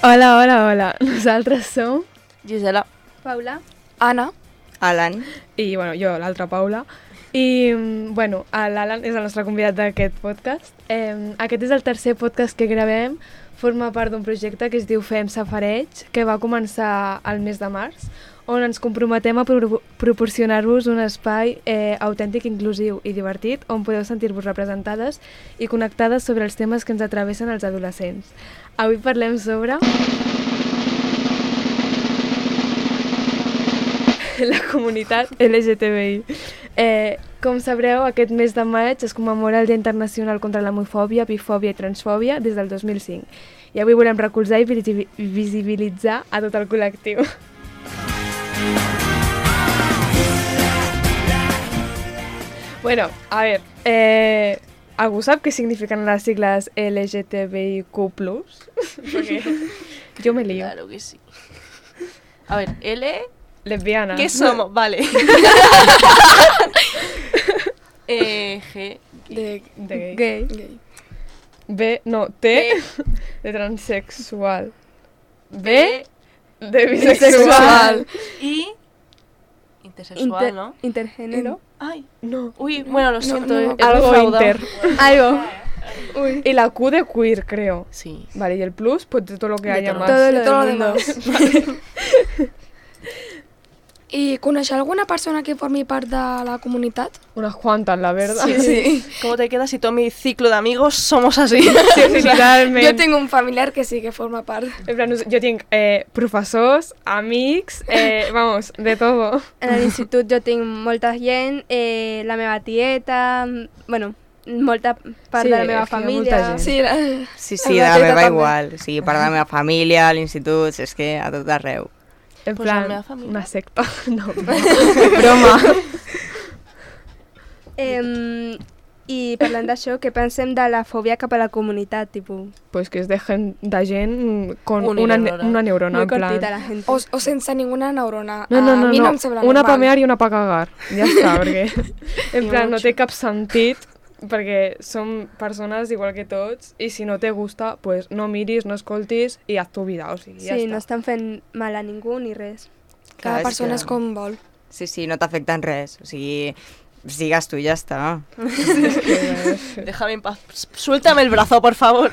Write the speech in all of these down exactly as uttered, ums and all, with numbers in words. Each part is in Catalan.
Hola, hola, hola. Nosaltres som... Gisela. Paula. Anna. Alan. I, bueno, jo, l'altra Paula. I, bueno, l'Alan és el nostre convidat d'aquest podcast. Eh, aquest és el tercer podcast que gravem. Forma part d'un projecte que es diu Fem Safareig, que va començar al mes de març, on ens comprometem a pro proporcionar-vos un espai eh, autèntic, inclusiu i divertit, on podeu sentir-vos representades i connectades sobre els temes que ens atravessen els adolescents. Avui parlem sobre... la comunitat L G T B I. Eh, com sabreu, aquest mes de maig es commemora el Dia Internacional contra l'Homofòbia, Bifòbia i Transfòbia des del dos mil cinc. I avui volem recolzar i visibilitzar a tot el col·lectiu. Bueno, a ver, eh, ¿algú sap què significan las siglas L G T B I Q plus? Porque yo me lío. Claro que sí. A ver, L... Lesbiana. ¿Qué somos? Vale. eh, G... De, De gay. gay. gay. B, no, T, B. de transexual. B, B... de Bisexual. bisexual. Y... Intersexual, Inter- ¿no? Intergénero. Ay. No. Uy, bueno, lo siento. no, eh, no. es muy Algo fraudado. inter. Algo. Uy. Y la Q de queer, creo. Sí. Vale, y el plus, pues de todo lo que De haya todo. más. Todo lo De todo lo del mundo. demás. I coneixer alguna persona que formi part de la comunitat? Unas cuantas, la verdad. Sí. ¿Cómo te quedas si todo mi ciclo de amigos somos así? Sí, sí, literalment. Jo tinc un familiar que sí que forma part. En plan, jo tinc eh, professors, amics, eh, vamos, de todo. En l'institut jo tinc molta gent, eh, la meva tieta, bueno, molta part Sí, de la meva és que hi ha molta família. gent. Sí, la... Sí, sí, de La la teta meva també. igual. O sigui, part de la meva família, a l'institut, és que a tot arreu. En Pues la plan, meva família. una secta. No, broma. Eh, I parlant d'això, què pensem de la fòbia cap a la comunitat, tipus, Pues que es dejen de gent con Una una, neurona. una neurona, molt en plan... cortita la gent. O, o sense ninguna neurona. No, no, no, a mi no. no em sembla Una normal. pa mear i una pa cagar. Ja està, perquè en I plan no mucho. té cap sentit, perquè som persones igual que tots i si no te gusta, pues no miris, no escoltis i haz tu vida, o sigui, ja Sí, està. no estan fent mal a ningú ni res. Cada Clar, és persona que- és com vol. Sí, sí, no t'afecta en res. O sigui, sigues tu i ja està. Déjame en paz. Suéltame el brazo, por favor.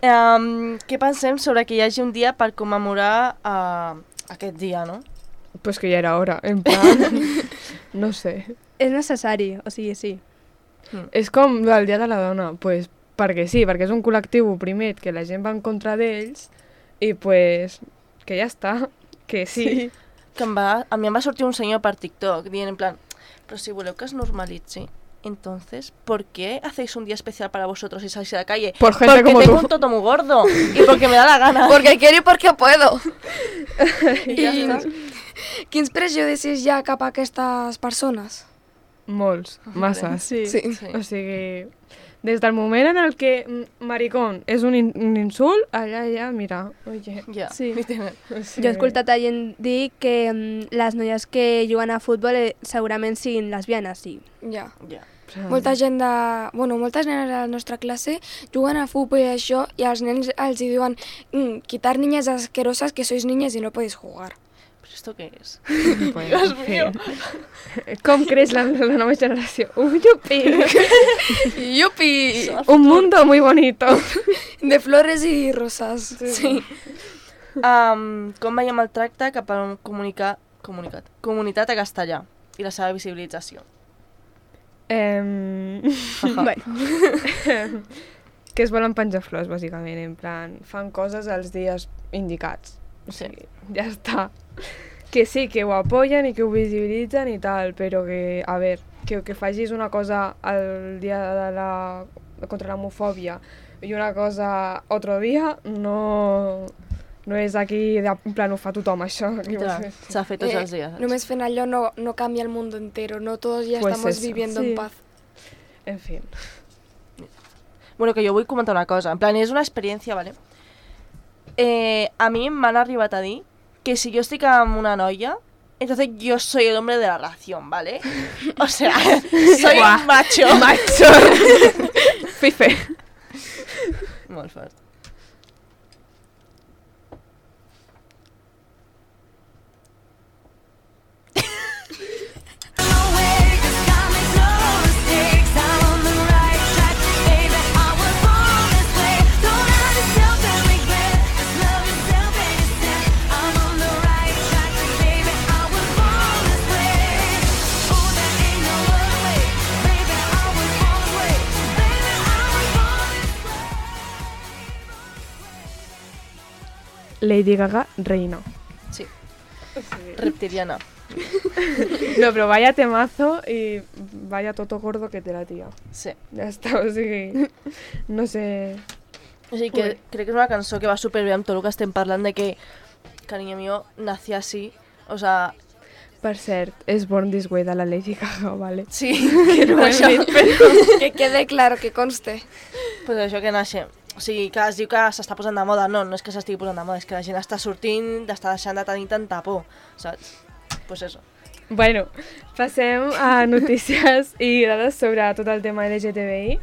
um, què pensem sobre que hi hagi un dia per commemorar uh, aquest dia, no? Pues que ja era hora, en plan... No sé. És necessari, o sigui, sí. És com el Dia de la Dona, pues perquè sí, perquè és un col·lectiu oprimit que la gent va en contra d'ells i pues que ja està, que sí. sí. Que em va, a mi em va sortir un senyor per TikTok dient en plan, però si voleu que es normalitzi, entonces, ¿por qué hacéis un día especial para vosotros y salís a la calle? Por gente porque como tengo tú. un toto muy gordo y porque me da la gana. Porque quiero y porque puedo. I ja I està. quins prejudicis hi ha cap a aquestes persones? Molts, masses. Sí. Sí. Sí. O sigui, des del moment en el que mm, maricón és un, in un insult, allà ja, mira, oye. Ja, Sí. literal. O sigui, Jo he escoltat a gent dir que mm, les noies que juguen a futbol eh, segurament siguin lesbianes, sí. Ja. Ja. Molta gent de... Bueno, moltes nenes de la nostra classe juguen a futbol i això, i els nens els hi diuen mm, quitar niñas asquerosas que sois niñas y no podéis jugar. ¿Pero esto qué es? Pues, Dios en mío. fi. Com creix la, la nova generació? Un yupi! ¡Yupi! Un mundo muy bonito. De flores y rosas. Sí. Um, com veiem el tracte cap a un comunicat, comunicat, comunitat a castellà i la seva visibilització? Em... Bueno, que es volen penjar flors, bàsicament, en plan, fan coses els dies indicats. O sigui, ja està. Que sí, que ho apoyen i que ho visibilitzen i tal, però que, a veure, que, que facis una cosa el dia de la... contra l'homofòbia i una cosa otro dia, no... No és aquí, de, en plan, ho fa tothom, això. Literal, s'ha fet tots els dies. Eh, només fent allò no, no canvia el mundo entero, no todos ya Pues estamos eso. viviendo Sí. en paz. En fin. Bueno, que jo vull comentar una cosa. En plan, és una experiència, ¿vale? Eh, a mi m'han arribat a dir que si jo estic amb una noia, entonces yo soy el hombre de la relación, ¿vale? O sea, soy un macho. Macho! Fife. Molt fort. Lady Gaga reina. Sí. Reptiliana. No, però vaya temazo i vaya toto gordo que té la tia. Sí. Ja està, o sigui, no sé... O sigui que crec que és una cançó que va superbé amb tot el que estem parlant de que Cariño mío nació así, o sea... Per cert, és Born This Way de la Lady Gaga, vale? Sí, que no Això. això. Però... Que quede claro, que conste. Pues això que naixem. O sigui, que es diu que s'està posant de moda. No, no és que s'estigui posant de moda, és que la gent està sortint, està deixant de tenir tanta por, saps? Pues eso. Bueno, passem a notícies i dades sobre tot el tema L G T B I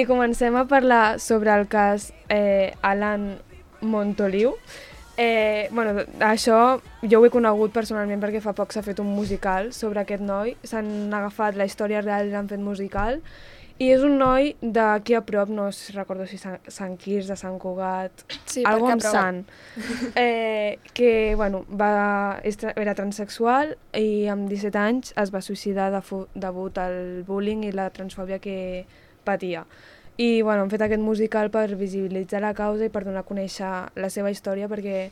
i comencem a parlar sobre el cas eh, Alan Montoliu. Eh, bueno, això jo ho he conegut personalment perquè fa poc s'ha fet un musical sobre aquest noi. S'han agafat la història real i l'han fet musical. I és un noi d'aquí a prop, no recordo si Sant, Sant Quirze, de Sant Cugat, Sí, algo perquè amb aprova. Sant, eh, que bueno, va, era transexual i amb disset anys es va suïcidar de fu, degut al bullying i la transfòbia que patia. I bueno, han fet aquest musical per visibilitzar la causa i per donar a conèixer la seva història, perquè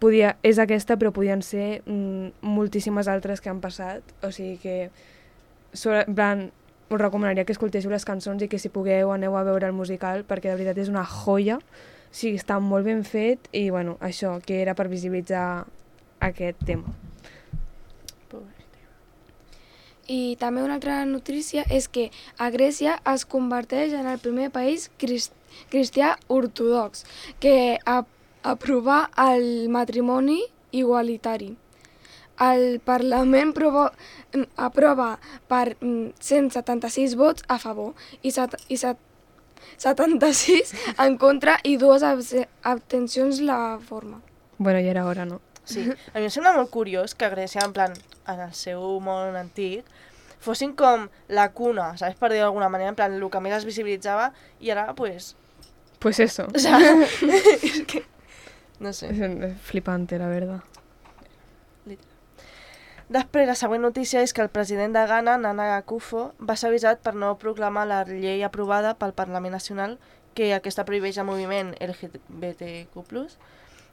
podia, és aquesta, però podien ser mm, moltíssimes altres que han passat. O sigui que sobre, plan, us recomanaria que escoltéssiu les cançons i que si pugueu aneu a veure el musical, perquè de veritat és una joia. O sigui, està molt ben fet i bueno, això, que era per visibilitzar aquest tema. I també una altra notícia és que a Grècia es converteix en el primer país crist cristià ortodox que a aprovar el matrimoni igualitari. El Parlament provo aprova per cent setanta-sis vots a favor i, set i set setanta-sis en contra i dues abstencions la forma. Bueno, ja era hora, no? Sí, a mi em sembla molt curiós que a Grècia, en plan, en el seu món antic, fossin com la cuna, saps, per dir d'alguna manera, en plan, el que més es visibilitzava, i ara, pues... Pues eso. O sea, és que... No sé. Es flipante, la verdad. Després, la següent notícia és que el president de Ghana, Nana Akufo, va ser avisat per no proclamar la llei aprovada pel Parlament Nacional que aquesta prohibeix el moviment L G B T Q plus,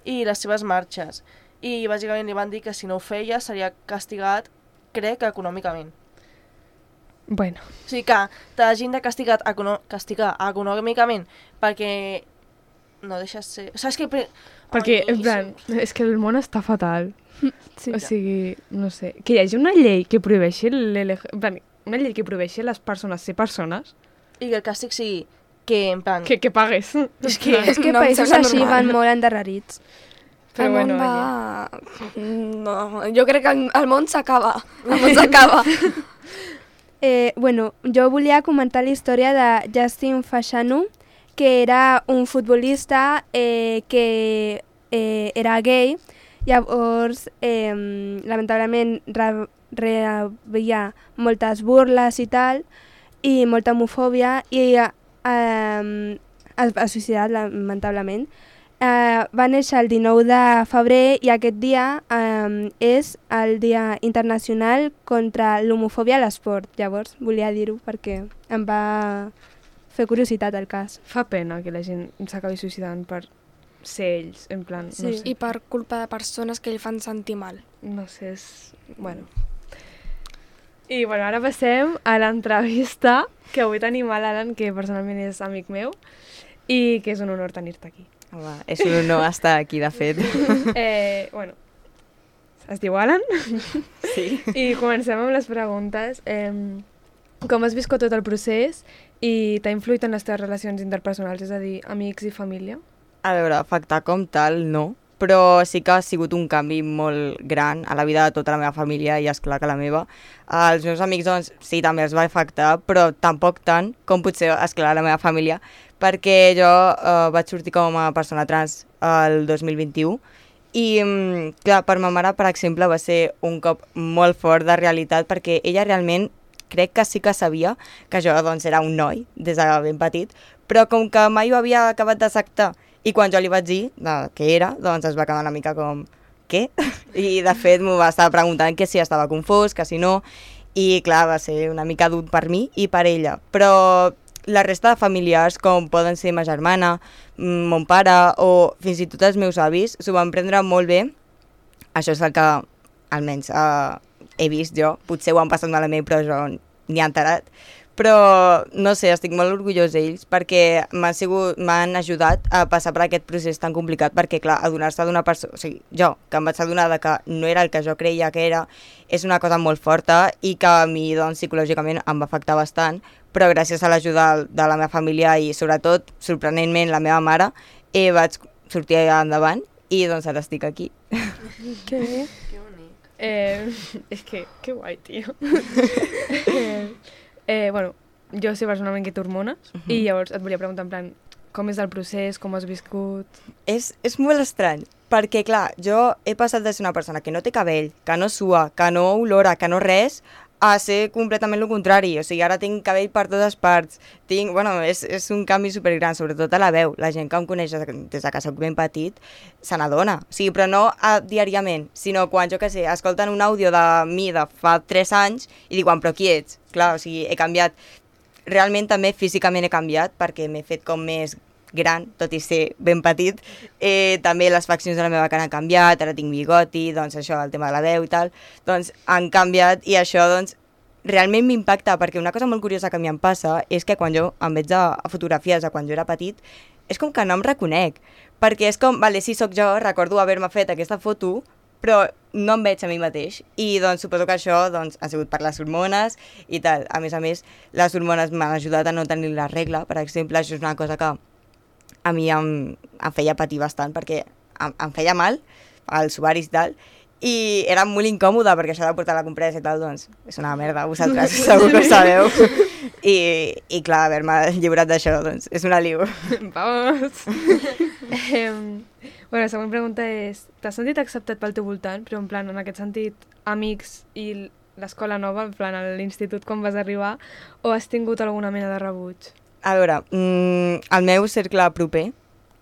i les seves marxes. I bàsicament li van dir que si no ho feia seria castigat, crec, econòmicament. Bueno. O sigui que t'hagin de castigar, econo castigar econòmicament perquè no deixes ser... Saps que... Pre... Perquè, Ai, en plan, és que el món està fatal. Sí. O sigui, no sé, que hi hagi una llei que prohibeixi l'L G... En plan, una llei que prohibeixi a les persones ser persones, I que el càstig sigui que, en plan... que, que pagues. És que... És que No em països sembla així normal. van molt endarrerits. Però el bueno, món va... No, jo crec que el, el món s'acaba. El món s'acaba. Eh, bueno, jo volia comentar la història de Justin Fashanu, que era un futbolista eh, que eh, era gay. Llavors, eh, lamentablement, re rebia moltes burles i tal, i molta homofòbia, i eh, es va suïcidar, lamentablement. Eh, va néixer el dinou de febrer i aquest dia eh, és el Dia Internacional contra l'Homofòbia a l'Esport. Llavors, volia dir-ho perquè em va fer curiositat el cas. Fa pena que la gent s'acabi suïcidant per ser ells, en plan, Sí. no sé. I per culpa de persones que li fan sentir mal. No sé, és... Bueno. I bueno, ara passem a l'entrevista, que avui tenim a l'Alan, que personalment és amic meu, i que és un honor tenir-te aquí. Home, és un honor estar aquí, de fet. Eh, bueno, es diu Alan? Sí. I comencem amb les preguntes. Eh, com has viscut tot el procés i t'ha influït en les teves relacions interpersonals, és a dir, amics i família? A veure, afectar com tal, no. Però sí que ha sigut un canvi molt gran a la vida de tota la meva família i, esclar, que la meva. Els meus amics, doncs, sí, també els va afectar, però tampoc tant com potser, esclar, la meva família, perquè jo eh, vaig sortir com a persona trans el dos mil vint-i-u i, mm, clar, per ma mare, per exemple, va ser un cop molt fort de realitat perquè ella realment crec que sí que sabia que jo, doncs, era un noi des de ben petit, però com que mai ho havia acabat d'acceptar. I quan jo li vaig dir eh, què era, doncs es va quedar una mica com, què? I de fet m'ho va estar preguntant que si estava confós, que si no, i clar, va ser una mica dur per mi i per ella. Però la resta de familiars, com poden ser ma germana, mm, mon pare o fins i tot els meus avis s'ho van prendre molt bé. Això és el que almenys uh, he vist jo. Potser ho han passat malament, però jo n'hi he enterat. Però, no sé, estic molt orgullós d'ells perquè m'han sigut, m'han ajudat a passar per aquest procés tan complicat perquè, clar, adonar-se d'una persona... O sigui, jo, que em vaig adonar de que no era el que jo creia que era, és una cosa molt forta i que a mi, doncs, psicològicament em va afectar bastant, però gràcies a l'ajuda de la meva família i, sobretot, sorprenentment, la meva mare, eh, vaig sortir endavant i, doncs, ara estic aquí. Que bé. Que bonic. Eh, és que, que guai, tio. eh, eh, bueno, jo sé personalment que té hormones uh -huh. i llavors et volia preguntar en plan, com és el procés, com has viscut... És, és molt estrany, perquè, clar, jo he passat de ser una persona que no té cabell, que no sua, que no olora, que no res, a ser completament el contrari. O sigui, ara tinc cabell per totes parts. Tinc, bueno, és, és un canvi supergran, sobretot a la veu. La gent que em coneix des de que soc ben petit se n'adona. O sigui, però no a, diàriament, sinó quan, jo què sé, escolten un àudio de mi de fa tres anys i diuen, però qui ets? Clar, o sigui, he canviat. Realment també físicament he canviat perquè m'he fet com més gran, tot i ser ben petit. Eh, també les faccions de la meva cara han canviat, ara tinc bigoti, doncs això, el tema de la veu i tal, doncs han canviat i això doncs realment m'impacta perquè una cosa molt curiosa que a mi em passa és que quan jo em veig a, a fotografies de quan jo era petit és com que no em reconec, perquè és com, vale, sí, sóc jo, recordo haver-me fet aquesta foto, però no em veig a mi mateix i doncs suposo que això doncs, ha sigut per les hormones i tal. A més a més, les hormones m'han ajudat a no tenir la regla, per exemple, això és una cosa que a mi em, em feia patir bastant perquè em, em feia mal als ovaris i tal, i era molt incòmode perquè això de portar la compresa i tal, doncs és una merda, vosaltres segur que ho sabeu. I, i clar, haver-me lliurat d'això, doncs és un aliu. Vamos! eh, bueno, la següent pregunta és, t'has sentit acceptat pel teu voltant, però en plan, en aquest sentit, amics i l'escola nova, en plan, a l'institut quan vas arribar, o has tingut alguna mena de rebuig? A veure, mmm, el meu cercle proper,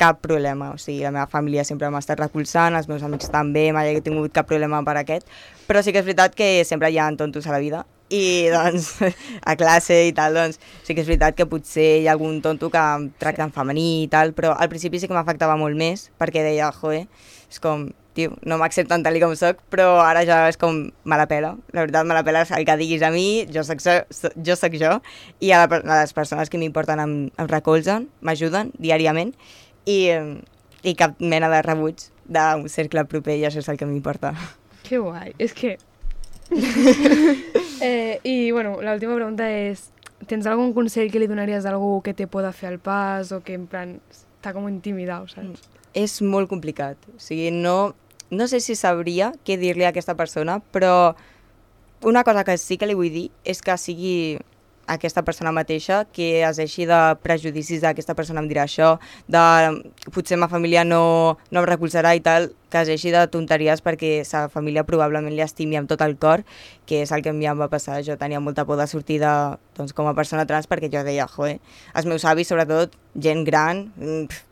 cap problema, o sigui, la meva família sempre m'ha estat recolzant, els meus amics també, mai he tingut cap problema per aquest, però sí que és veritat que sempre hi ha tontos a la vida, i doncs a classe i tal, doncs sí que és veritat que potser hi ha algun tonto que em tracta en femení i tal, però al principi sí que m'afectava molt més, perquè deia, joe, és com, tio, no m'accepten tal com soc, però ara ja és com, me la pela, la veritat me la pela el que diguis a mi, jo soc, jo, soc jo, i a, la, a les persones que m'importen em, em recolzen, m'ajuden diàriament, i, i cap mena de rebuig d'un cercle proper, i això és el que m'importa. Que guai, és que... eh, I, bueno, l'última pregunta és, tens algun consell que li donaries a algú que té por de fer el pas o que, en plan, està com intimidat, saps? És molt complicat, o sigui, no, no sé si sabria què dir-li a aquesta persona, però una cosa que sí que li vull dir és que sigui aquesta persona mateixa, que es deixi de prejudicis d'aquesta persona em dirà això, de potser ma família no, no em recolzarà i tal, que es deixi de tonteries perquè sa família probablement li estimi amb tot el cor, que és el que a mi em va passar. Jo tenia molta por de sortir de, doncs, com a persona trans perquè jo deia, joe, els meus avis, sobretot, gent gran,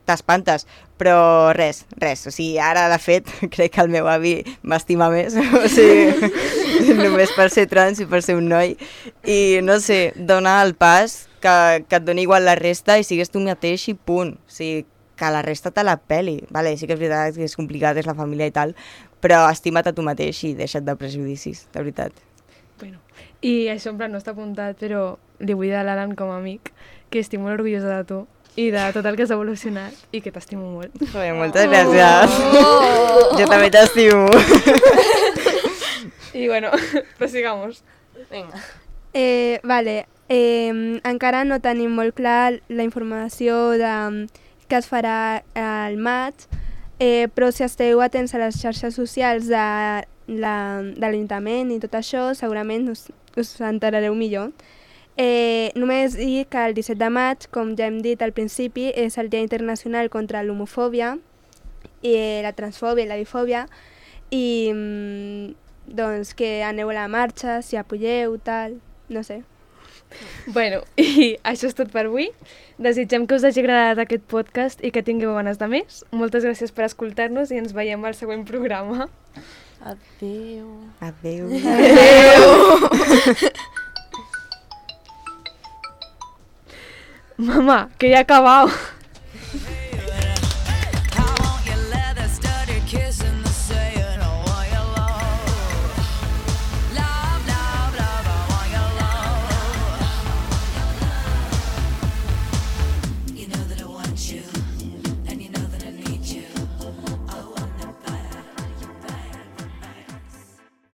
t'espantes, però res, res. O sigui, ara, de fet, crec que el meu avi m'estima més, o sigui, només per ser trans i per ser un noi. I, no sé, donar el pas, que, que et doni igual la resta i sigues tu mateix i punt. O sigui, que la resta te la peli. Vale, sí que és veritat que és complicat, és la família i tal, però estima't a tu mateix i deixa't de prejudicis, de veritat. Bueno, i això en plan no està apuntat, però li vull dir a l'Alan com a amic que estic molt orgullosa de tu i de tot el que has evolucionat i que t'estimo molt. Joder, moltes gràcies. Oh! Jo també t'estimo. I bueno, prosigamos. Vinga. Eh, vale, eh, encara no tenim molt clar la informació de que es farà al maig, eh, però si esteu atents a les xarxes socials de, la, de l'Ajuntament i tot això, segurament us, us enterareu millor. Eh, només dir que el disset de maig, com ja hem dit al principi, és el Dia Internacional contra l'homofòbia, i la transfòbia i la bifòbia, i doncs que aneu a la marxa, si apoyeu, tal, no sé. Bueno, i això és tot per avui. Desitgem que us hagi agradat aquest podcast i que tingueu ganes de més. Moltes gràcies per escoltar-nos i ens veiem al següent programa. Adéu. Adéu. Adéu. Mamá, que ya he acabado.